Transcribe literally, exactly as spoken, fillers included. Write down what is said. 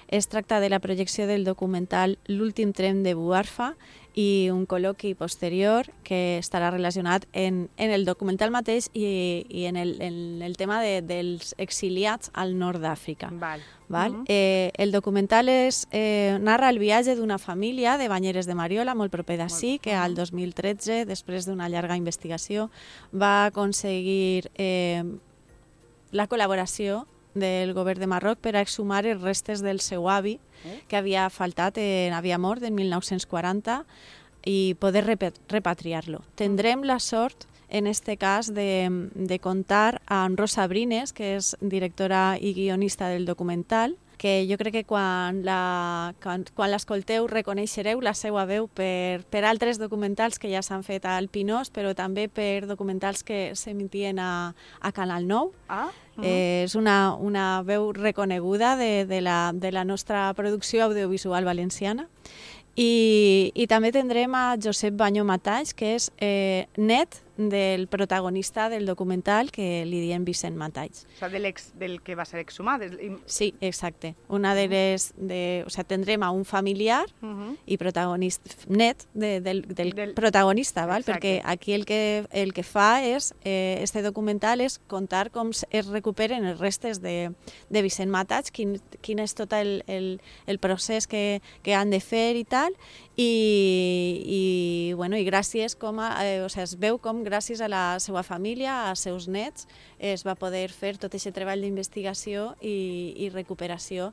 Es tracta de la projecció del documental L'últim tren de Buarfa i un col·loqui posterior que estarà relacionat en, en el documental mateix i, i en, el, en el tema de, dels exiliats al nord d'Àfrica. Val. Val? Mhm. Eh, el documental és, eh, narra el viatge d'una família de Banyeres de Mariola, molt proper d'ací, que al dos mil tretze, després d'una llarga investigació, va aconseguir eh, la col·laboració del govern de Marroc per a exhumar els restes del seu avi, que havia faltat, eh, havia mort en mil nou-cents quaranta, i poder repa- repatriar-lo. Tindrem la sort, en este cas, de, de contar amb Rosa Brines, que és directora i guionista del documental, que jo crec que quan la- quan, quan l'escolteu reconeixereu la seva veu per, per altres documentals que ja s'han fet al Pinós, però també per documentals que s'emitien a, a Canal nou. Ah, Eh, és una, una veu reconeguda de, de, la, de la nostra producció audiovisual valenciana. I, i també tindrem a Josep Bañó Matalls, que és eh, net del protagonista del documental, que li diem Vicent Matalls. o sea, del, ex, del que va a ser exhumat. Del, i- Sí, exacte. Una de les... De, o sea, tindrem a un familiar Mhm. i protagonista net de, del, del, Del- protagonista, val? Exacte. Perquè aquí el que, el que fa és, eh, este documental és contar com s- es recuperen els restes de, de Vicent Matalls, quin, quin és tot el, el, el procés que, que han de fer i tal, i, i, bueno, i gràcies com a, eh, o sigui, es veu com gràcies a la seva família, als seus nets, es va poder fer tot aquest treball d'investigació i, i recuperació